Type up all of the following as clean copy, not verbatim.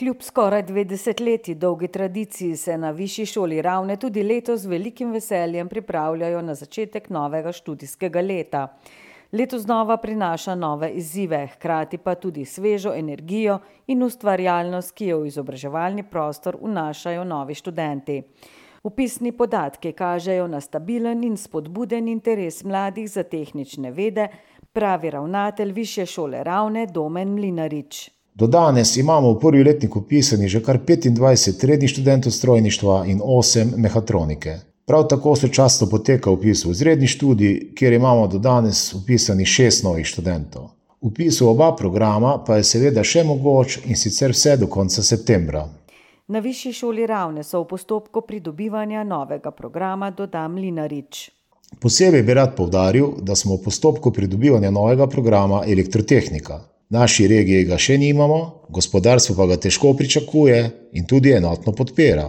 Kljub skoraj 20 dolgi tradiciji se na Višji šoli Ravne tudi letos z velikim veseljem pripravljajo na začetek novega študijskega leta. Letos znova prinaša nove izzive, hkrati pa tudi svežo energijo in ustvarjalnost, ki jo v izobraževalni prostor vnašajo novi študenti. Vpisni podatki kažejo na stabilen in spodbuden interes mladih za tehnične vede, pravi ravnatelj Višje šole Ravne Domen Mlinarič. Do danes imamo v prvi letnik vpisanih že kar 25 rednih študentov strojništva in 8 mehatronike. Prav tako sočasno poteka vpis v izredni študij, kjer imamo do danes vpisanih 6 novih študentov. Vpis v oba programa pa je seveda še mogoč in sicer vse do konca septembra. Na Višji šoli Ravne so v postopku pridobivanja novega programa, doda Mlinarič. Posebej bi rad poudaril, da smo v postopku pridobivanja novega programa elektrotehnika. V naši regiji ga še nimamo, gospodarstvo pa ga težko pričakuje in tudi enotno podpira.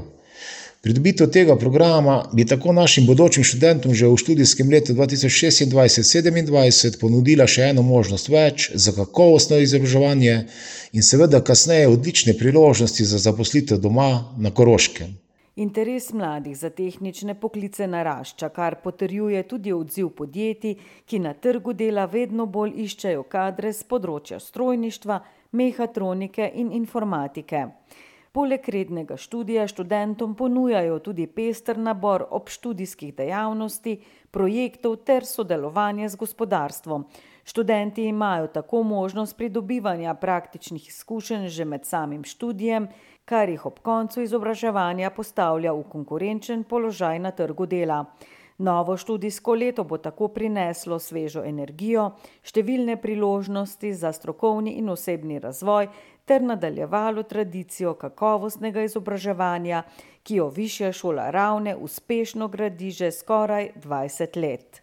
Pridobitev tega programa bi tako našim bodočim študentom že v študijskem letu 2026-2027 ponudila še eno možnost več za kakovostno izobraževanje in seveda kasneje odlične priložnosti za zaposlitev doma na Koroškem. Interes mladih za tehnične poklice narašča, kar potrjuje tudi odziv podjetij, ki na trgu dela vedno bolj iščejo kadre z področja strojništva, mehatronike in informatike. Poleg rednega študija študentom ponujajo tudi pester nabor obštudijskih dejavnosti, projektov ter sodelovanje z gospodarstvom. Študenti imajo tako možnost pridobivanja praktičnih izkušenj že med samim študijem, kar jih ob koncu izobraževanja postavlja v konkurenčen položaj na trgu dela. Novo študijsko leto bo tako prineslo svežo energijo, številne priložnosti za strokovni in osebni razvoj ter nadaljevalo tradicijo kakovostnega izobraževanja, ki jo Višja šola Ravne uspešno gradi že skoraj 20 let.